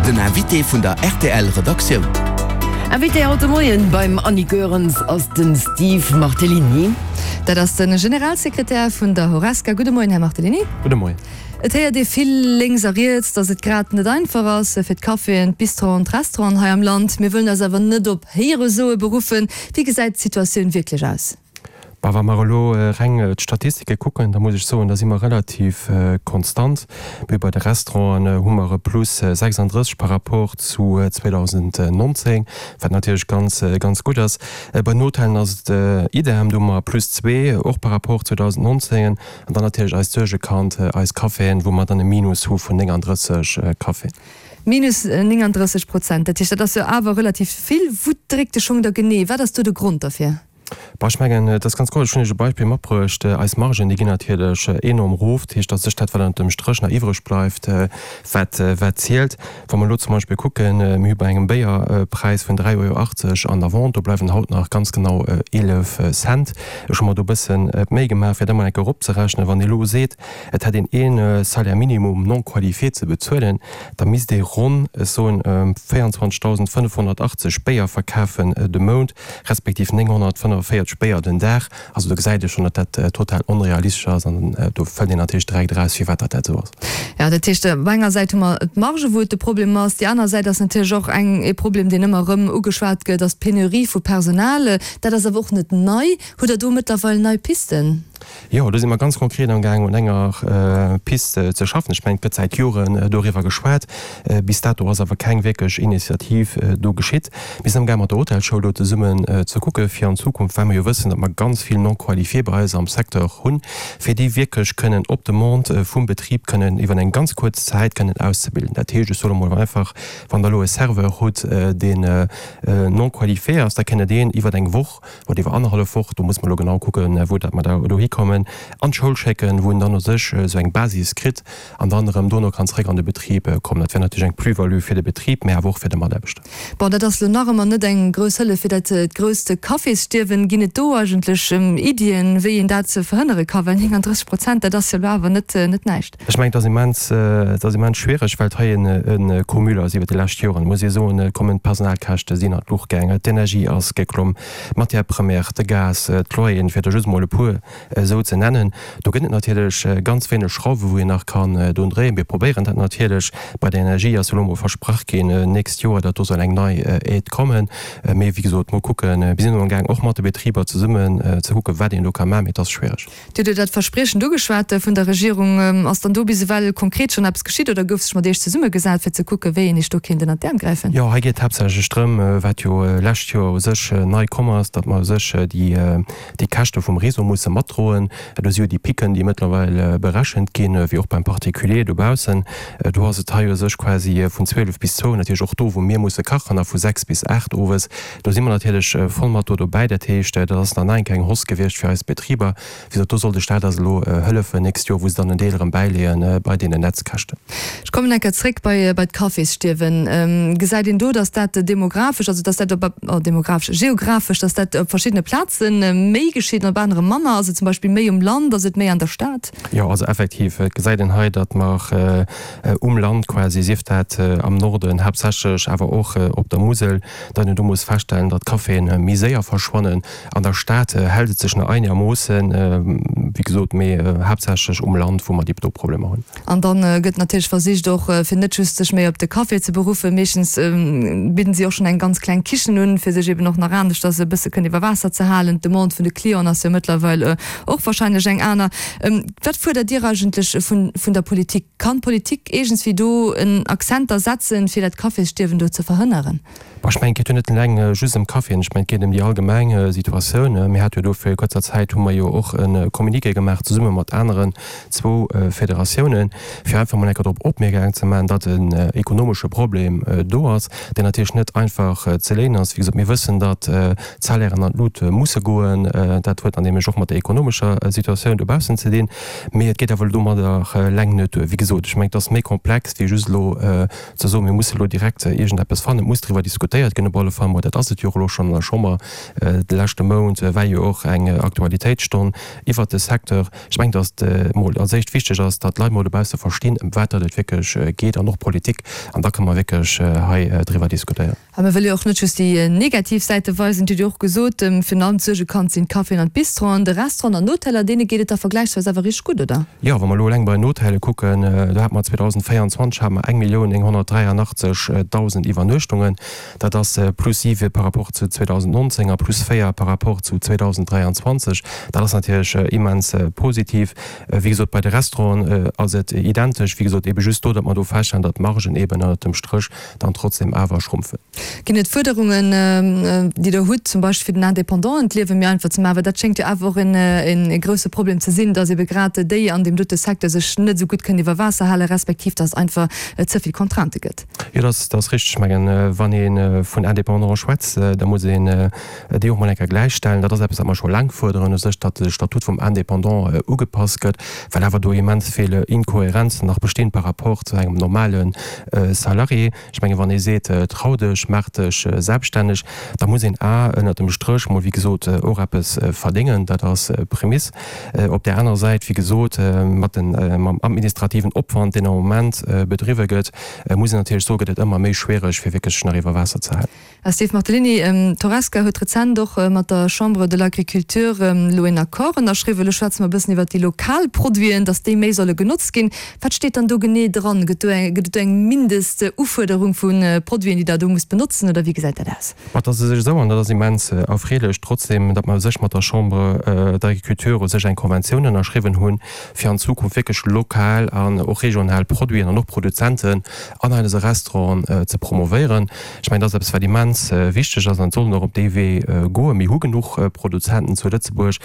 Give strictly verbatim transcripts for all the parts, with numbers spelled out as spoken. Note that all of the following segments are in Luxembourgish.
Den Invité vun der R T L Redaktioun. Invité haut de Moien beim Annie Goerens ass den Steve Martellini. Dat ass den Generalsekretär vun der Horesca. Gudde Moien, Här Martellini. Gudde Moien. Et héiert ee vill lénks a riets, datt et grad net einfach ass fir d'Caféen, d'Bistroen, d'Restauranten hei am Land. Mir wëllen eis awer net op Héieresoe beruffen. Wéi gesäit d'Situatioun wierklech aus? Bah, wa mer elo reng d'Statistike kucken, da muss ech soen, da si mer relativ konstant. Mee bei de Restauranten hu mer e Plus sechsanddrësseg par rapport zu zweedausendnonzéng, wat natierlech ganz, ganz gutt ass. Bei den Hotellen ass et idem, do hu mer e Plus zwee, och par rapport zweedausendnonzéng. An dann natierlech eist Suergekand, eis Caféen, wou mer dann e Minus hu vun nénganddrësseg Caféen. Minus nénganddrësseg Prozent, dat heescht, dat ass jo awer relativ vill. Wou dréckt de Schong da genee? Wat ass do de Grond derfir? Bah, ech mengen, et ass ganz kloer, ech hunn Iech e Beispill matbruecht, Eis Margen, déi ginn natierlech enorm erof. Dat heescht, dat ass sech dat, wat ënnert dem Stréch nach iwwreg bleift, wat, wat zielt. Wa mer elo zum Beispill kucken, mir hu bei engem Béierpräis vun dräi Euro achtzeg an der Vente, do bleiwen haut nach ganz genau eelef Cent. Ech hu mer do e bëssen d'Méi gemaach, fir dat emol eng Kéier eropzerechnen. Wann ee elo seet, et hätt een ee Salaire minimum non qualifié ze bezuelen, da misst ee ronn, ech soen, véierundzwanzegdausendfënnefhonnertachtzeg Béier verkafen de Mount, respektiv nénghonnertfënnevéierzeg Béier den Dag. Also do gesäit ee schonn, datt dat total onrealistesch ass an do fënnt een natierlech direkt eraus, firwat datt dat esou ass. Jo, dat heescht, op enger Säit hu mer d'Marge, wou et de Problem ass. Déi aner Säit ass natierlech och eng, ee Problem, deen ëmmer erëm ugeschwat gëtt, ass d'Penurie vu Personal. Dat ass awer och net nei. Hutt Der do mëttlerweil nei Pisten? Jo, do si mer ganz konkret amgaang un enger Piste ze schaffen. Ech mengen, et gëtt säit Joren doriwwer geschwat. Bis dato ass awer keng wierklech Initiativ do geschitt. Mir sinn amgaang mat der Hotelschoul do zesummen ze kucke fir an Zukunft, well mer jo wëssen, datt mer ganz vill Non-qualifiés bei eis am Secteur hunn, fir déi wierklech kënnen op Demande vum Betrib kënnen iwwer eng ganz kuerz Zäit kënnen auszebilden. Dat heescht, ech soe mol einfach, wann Der elo e Serveur hutt, deen non-qualifié ass, da kënnt Der deen iwwer eng Woch oder iwwer annerhallef Woch, do muss mer elo genau kucken, wou datt mer da dohi kommen, an d'Schoul schécken, wou en dann u sech esou eng Basis kritt an dann erëm dono kann zréck an de Betrib kommen. Dat wär natierlech eng Plus-value fir de Betrib, mä awer och fir de Mataarbechter. Bon, dat ass elo nach ëmmer net eng grouss Hëllef fir dat grousst Cafésstierwen. Ginn et do eigentlech Iddien, wéi een dat verhënnere ka? Well nénganddrësseg Prozent, dat ass jo elo awer net net näischt. Ech mengen, et ass immens, et ass immens schwiereg, well et hei en Cumul ass iwwert déi lescht Joren, muss ee soen, kommen d'Personalkäschte sinn an d'Luucht gaangen, d'Energie ass geklomm, d'Matières premières, de Gas, d'Loyeren, fir der just emol e puer esou ze nennen. Do gëtt et natierlech ganz wéineg Schrauwe wou een nach kann drun dréien. Mir probéieren dat natierlech. Bei der Energie ass jo elo emol versprach ginn nächst Joer, datt do soll eng nei Aide kommen. Mee wéi gesot, mol kucken. Mir sinn elo amgaang och mat de Betriber zesummen ze kucken, wat een do ka maachen, mee et ass schwiereg. Dir hutt jo dat Verspriechen ugeschwat vun der Regierung. Ass dann do bis ewell konkret schonn eppes geschitt oder gouf sech mat Iech zesummegesat, fir ze kucken, wéi een Iech do kéint ënnert d'Äerm gräifen? Jo, hei geet et haaptsächlech drëm, wat jo lescht Joer u sech nei komm ass, datt mer u sech déi déi Käschte vum Réseau musse matdroen. Do si jo déi Picken, déi mëttlerweil berechent ginn, wéi och beim Particulier dobaussen. Do ass et hei u sech quasi vun zwielef bis zwou, natierlech och do, wou mir musse kachen, a vu sechs bis aacht owes. Do si mer natierlech voll mat do dobäi. Dat heescht, dat ass nach eng Kéier eng Hausse gewiescht fir eis Betriber. Wéi gesot, do soll de Staat eis elo hëllefen nächst Joer, wou se dann en Deel erëm bäileeën bei deenen Netzkäschten. Ech kommen eng Kéier zréck bei bei d'Cafésstierwen. Gesäit een do, datt dat demografesch, also datt dat op, oh, demografesch, geografesch, datt dat op verschiddene Plaze méi geschitt an op anere manner? Ass et zum Beispill méi um Land, ass et méi an der Stad? Jo, also effektiv, et gesäit een hei, datt mer um Land quasi, sief dat am Norden haaptsächlech, awer och op der Musel, datt een do muss feststellen, datt d'Caféen méi séier verschwannen. An der Stad hält et sech nach einermoossen, wéi gesot, mee haaptsächlech um Land, wou mer déi do Problemer hunn. An dann gëtt natierlech versicht och, fir net just sech méi op de Café ze beruffen, meeschtens bidden si och schonn eng ganz kleng Kichen un, fir sech eben och nach aneschters e bësse kënnen iwwer Waasser ze halen. D'Demande vun de Clienten ass jo mëttlerweil och wahrscheinlech eng aner. Wat fuerdert Dir eigentlech vun vun der Politik? Kann d'Politik iergendswéi do en Akzenter setzen, fir dat Cafésstierwen do ze verhënneren? Bon, ech mengen, et geet jo net eleng just ëm Caféen, ech mengen, et geet ëm déi allgemeng Situatioun. Mir hate jo do vir kuerzer Zäit hu mer jo och e Communiqué gemaach zesumme mat aneren zwou Federatiounen, fir einfach mol eng Kéier drop opmierksam ze maachen, datt en ekonomesche Problem do ass, deen natierlech net einfach ze léinen ass. Wéi gesot, mir wëssen, datt d'Salairen an d'Lut musse goen. Dat huet dann nämlech och mat der ekonomescher schwiereger Situatioun dobaussen ze dinn. Mee et geet awer domadder eleng net duer. Wéi gesot, ech mengen, et ass méi komplex wéi just elo ze soen, mir musse elo direkt iergendeppes fannen. Et muss driwwer diskutéiert ginn op alle Fall mol. Dat ass et jo och elo schonn an der Chamber. De leschte Mount war jo och eng Aktualitéitsstonn iwwert de Secteur. Ech mengen, datt et mol als éischt wichteg ass, datt d'Leit mol dobausse verstinn, ëm wat datt et wierklech geet an och d'Politik. An da kënne mer wierklech hei driwwer diskutéieren. A mir wëlle jo och net just déi negativ Säite weisen. Dir hutt jo och gesot, virun allem d'Suerge kann sinn d'Caféen an d'Bistroen. De Restauranten an Hoteller, deene geet et da vergläichsweis awer richteg gutt, oder? Jo, wa mer elo eleng bei den Hotelle kucken, do hate mer zweedausendvéierundzwanzeg hate mer eng Millioun nénghonnertdräianachtzeg Dausend Iwwernuechtungen. Dat ass plus siwe par rapport zu zweedausendnonzéng a plus véier par rapport zu zweedausendräianzwanzeg. Dat ass natierlech immens positiv. Wéi gesot, bei de Restauranten ass et identesch. Wéi gesot, ebe just do, datt mer do feststellen, datt d'Margen eben ënnert dem Stréch dann trotzdem awer schrumpfen. Ginn et Fuerderungen, déi Der hutt, zum Beispill fir den Indépendanten d'Liewe méi einfach ze maachen? Well dat schéngt jo awer och e grousse Problem ze sinn, datt ebe grad déi an deem dote Secteur sech net esou gutt kënnen iwwer Waasser halen, respektiv datt et einfach ze vill Contraintë gëtt. Jo, dat ass richteg. Ech mengen, wann ee vun Indépendante schwätzt, da muss een déi och mol eng Kéier gläichstellen. Dat ass eppes, wat mer scho laang fuerderen u sech, datt de Statut vum Indépendant ugepasst gëtt, well awer do immens vill Inkohärenzen nach bestinn par rapport zu engem normale Salarié. Ech mengen, wann ee seet, trau dech, maach dech selbststänneg, da muss een a ënnert dem Stréch mol, wéi gesot, och eppes verdéngen. Dat ass d'Prämiss. Op där anerer Säit, wéi gesot, mat den, mam administrativen Opwand, deen am Moment bedriwwe gëtt, muss een natierlech soen, gëtt et ëmmer méi schwiereg, fir wierklech sech nach iwwer Waasser ze halen. Steve Martellini, d'Horesca huet rezent och mat der Chambre de l'Agriculture elo een Accord ënnerschriwwen. Elo schwätze mer e bëssen iwwert déi lokal Produiten, datt déi méi solle genotzt ginn. Wat steet dann do genee dran? Gëtt do eng, gëtt et do eng Mindestufuerderung vu Produiten, déi Der do musst benotzen, oder wéi gesäit dat aus? Ma et ass u sech esou, an dat ass immens erfreelech trotzdem, datt mer u sech mat der Chambre d'Agriculture u sech eng Konventioun ënnerschriwwen hunn, fir an Zukunft wierklech lokal an och regional Produiten an och Produzenten an eise Restauranten ze promovéieren. Ech mengen, dat ass eppes, wat immens wichteg ass an et soll een och op dee Wee goen. Mir hu genuch Produzenten zu Lëtzebuerg.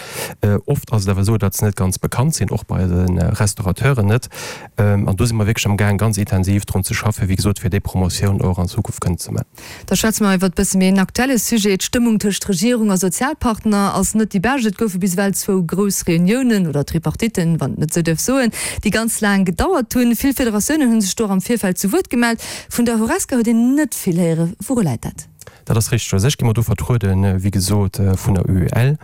Oft ass et awer esou, datt se net ganz bekannt sinn, och bei de Restaurateuren net. An do si mer wierklech amgaang, ganz intensiv drun ze schaffen, wéi gesot, fir déi Promotioun och an Zukunft kënnen ze maachen. Da schwätze mer iwwert e bësse méi en aktuelle Sujet. D'Stëmmung tëscht Regierung a Sozialpartner ass net déi bescht. Et goufe bis ewell zwou grouss Reuniounen, oder Tripartitten, wann een et esou duerf soen, déi ganz laang gedauert hunn. Vill Federatiounen hu sech do och am Virfeld zu Wuert gemellt. Vun der Horesca huet een net vill héieren. Wouru läit dat? Dat ass richteg. U sech gi mer do vertrueden, wéi gesot, vun der U E L.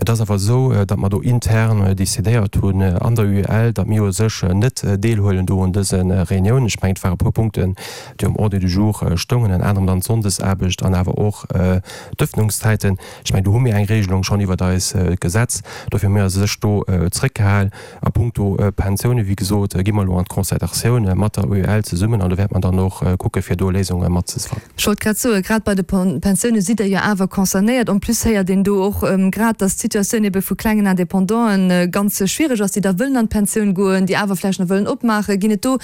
Et ass awer esou, datt mer do intern decidéiert hunn an der U E L, datt mir u sech net deelhuelen do un dëse Reuniounen. Ech mengen, et ware puer Punkten, déi um Ordre du jour stoungen, ënner anerem dann d'Sonndesaarbecht an awer och d'Ëffnungszäiten. Ech mengen, do hu mir eng Regelung schonn iwwert eis Gesetz. Dofir hu mir u sech do zréckgehal. A puncto Pensiounen, wéi gesot, gi mer elo an d'Concertatioun mat der U E L zesummen an do wäerte mer dann och kucke fir do Léisunge mat ze fannen. Ech wollt grad soen, grad bei de Pensioune sidd Der jo awer concernéiert. En plus héiert een do och grad, datt d'Situatioun ebe vu klengen Independanten ganz schwiereg ass, déi da wëllen an d'Pensioun goen, déi awer vläicht nach wëllen opmaachen. Ginn et do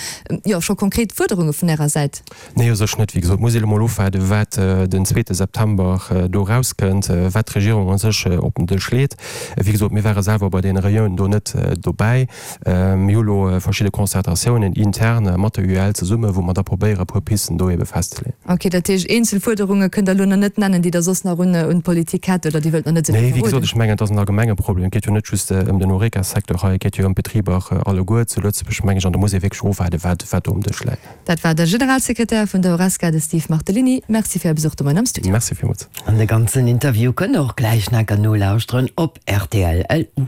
jo scho konkret Fuerderunge vun Ärer Säit? Nee, u sech net. Wéi gesot, muss ee elo mol ofwaarden, wat den zweete September do erauskënnt, wat d'Regierung u sech op den Dësch leet. Wéi gesot, mir ware selwer bei deene Reuniounen do net dobäi. Mir hu lo verschidde Concertatiounen intern mat der U E L zesummen, wou mer da probéieren, e puer Pisten do ebe festzeleeën. Ok, dat heescht, eenzel Fuerderunge kënnt Der elo nach net nennen, déi Der soss nach un d'Politik hätt oder Dir wëllt nach net esou vill Nee, wéi gesot, verroden? ech mengen, et ass en allgemenge Problem. Et geet jo net just ëm den Horeca-Secteur hei, et geet jo ëm d'Betriber alleguer zu Lëtzebuerg, meng ech, an do muss ee wierklech ofwaarden, wat wat do um Dësch läit. Dat war de Generalsekretär vun der Horesca, de Steve Martellini. Merci fir Är Besuch de Moien am Studio. Merci villmools. An de ganzen Interview kënnt der och gläich nach nolauschteren op R T L L U.